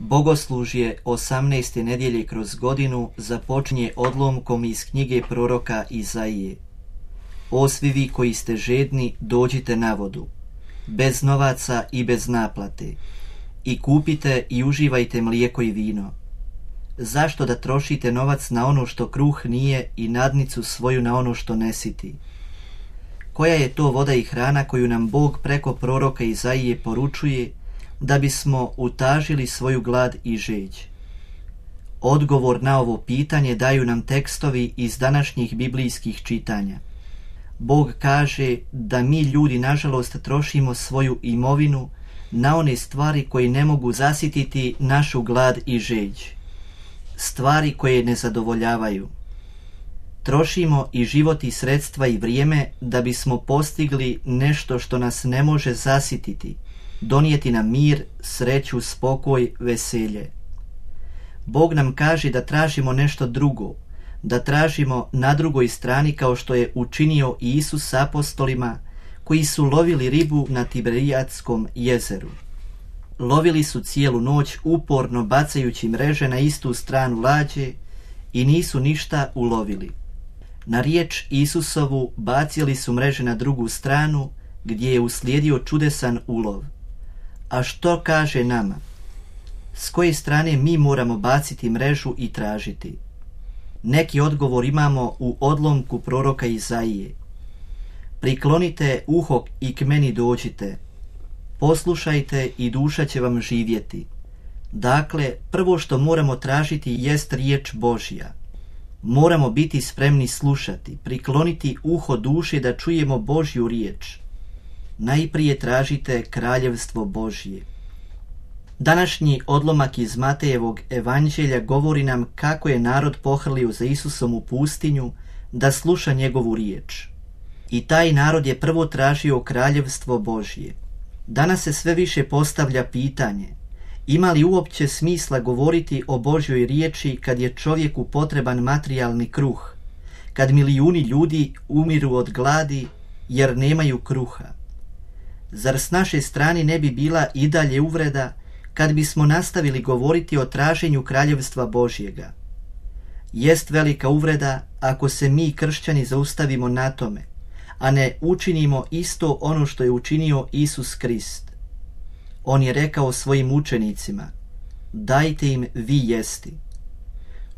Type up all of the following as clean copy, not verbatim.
Bogoslužje 18. nedjelje kroz godinu započinje odlomkom iz knjige proroka Izaije. O svi vi koji ste žedni, dođite na vodu, bez novaca i bez naplate, i kupite i uživajte mlijeko i vino. Zašto da trošite novac na ono što kruh nije i nadnicu svoju na ono što ne siti? Koja je to voda i hrana koju nam Bog preko proroka Izaije poručuje da bismo utažili svoju glad i žeđ? Odgovor na ovo pitanje daju nam tekstovi iz današnjih biblijskih čitanja. Bog kaže da mi ljudi nažalost trošimo svoju imovinu na one stvari koje ne mogu zasititi našu glad i žeđ. Stvari koje ne zadovoljavaju. Trošimo i život i sredstva i vrijeme da bismo postigli nešto što nas ne može zasititi, donijeti nam mir, sreću, spokoj, veselje. Bog nam kaže da tražimo nešto drugo, da tražimo na drugoj strani kao što je učinio Isus s apostolima koji su lovili ribu na Tiberijadskom jezeru. Lovili su cijelu noć uporno bacajući mreže na istu stranu lađe i nisu ništa ulovili. Na riječ Isusovu bacili su mreže na drugu stranu gdje je uslijedio čudesan ulov. A što kaže nama? S koje strane mi moramo baciti mrežu i tražiti? Neki odgovor imamo u odlomku proroka Izaije. Priklonite uho i k meni dođite. Poslušajte i duša će vam živjeti. Dakle, prvo što moramo tražiti jest riječ Božja. Moramo biti spremni slušati, prikloniti uho duše da čujemo Božju riječ. Najprije tražite kraljevstvo Božje. Današnji odlomak iz Matejevog evanđelja govori nam kako je narod pohrlio za Isusom u pustinju da sluša njegovu riječ. I taj narod je prvo tražio kraljevstvo Božje. Danas se sve više postavlja pitanje: ima li uopće smisla govoriti o Božjoj riječi kad je čovjeku potreban materijalni kruh, kad milijuni ljudi umiru od gladi jer nemaju kruha? Zar s naše strane ne bi bila i dalje uvreda kad bismo nastavili govoriti o traženju kraljevstva Božjega? Jest velika uvreda ako se mi kršćani zaustavimo na tome, a ne učinimo isto ono što je učinio Isus Krist. On je rekao svojim učenicima: dajte im vi jesti.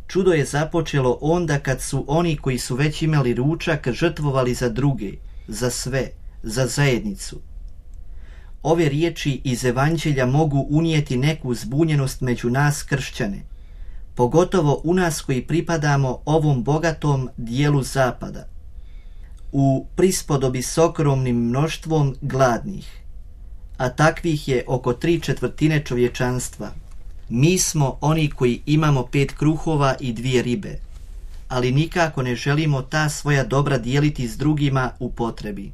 Čudo je započelo onda kad su oni koji su već imali ručak žrtvovali za druge, za sve, za zajednicu. Ove riječi iz evanđelja mogu unijeti neku zbunjenost među nas kršćane, pogotovo u nas koji pripadamo ovom bogatom dijelu zapada, u prispodobi s ogromnim mnoštvom gladnih, a takvih je oko 3/4 čovječanstva. Mi smo oni koji imamo 5 kruhova i 2 ribe, ali nikako ne želimo ta svoja dobra dijeliti s drugima u potrebi.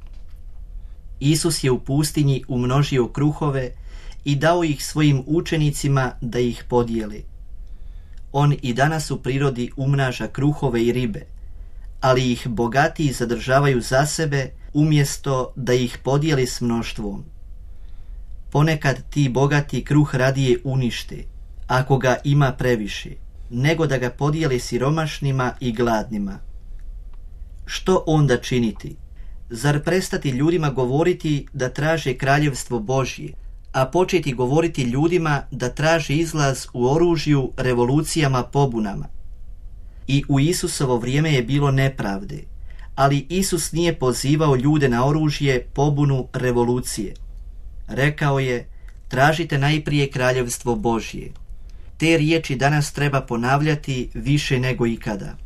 Isus je u pustinji umnožio kruhove i dao ih svojim učenicima da ih podijeli. On i danas u prirodi umnaža kruhove i ribe, ali ih bogatiji zadržavaju za sebe umjesto da ih podijeli s mnoštvom. Ponekad ti bogati kruh radije unište, ako ga ima previše, nego da ga podijeli siromašnima i gladnima. Što onda činiti? Zar prestati ljudima govoriti da traže kraljevstvo Božje, a početi govoriti ljudima da traže izlaz u oružju, revolucijama, pobunama? I u Isusovo vrijeme je bilo nepravde, ali Isus nije pozivao ljude na oružje, pobunu, revolucije. Rekao je: tražite najprije kraljevstvo Božje. Te riječi danas treba ponavljati više nego ikada.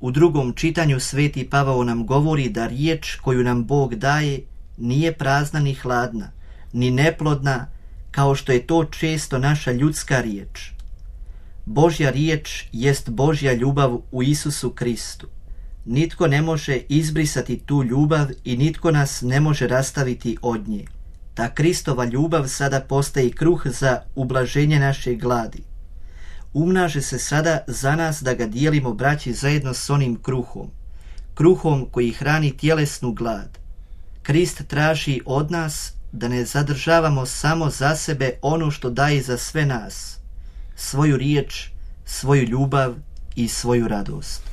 U drugom čitanju Sveti Pavao nam govori da riječ koju nam Bog daje nije prazna ni hladna, ni neplodna, kao što je to često naša ljudska riječ. Božja riječ jest Božja ljubav u Isusu Kristu. Nitko ne može izbrisati tu ljubav i nitko nas ne može rastaviti od nje. Ta Kristova ljubav sada postaje kruh za ublaženje naše gladi. Umnaže se sada za nas da ga dijelimo braći zajedno s onim kruhom koji hrani tjelesnu glad. Krist traži od nas da ne zadržavamo samo za sebe ono što daje za sve nas, svoju riječ, svoju ljubav i svoju radost.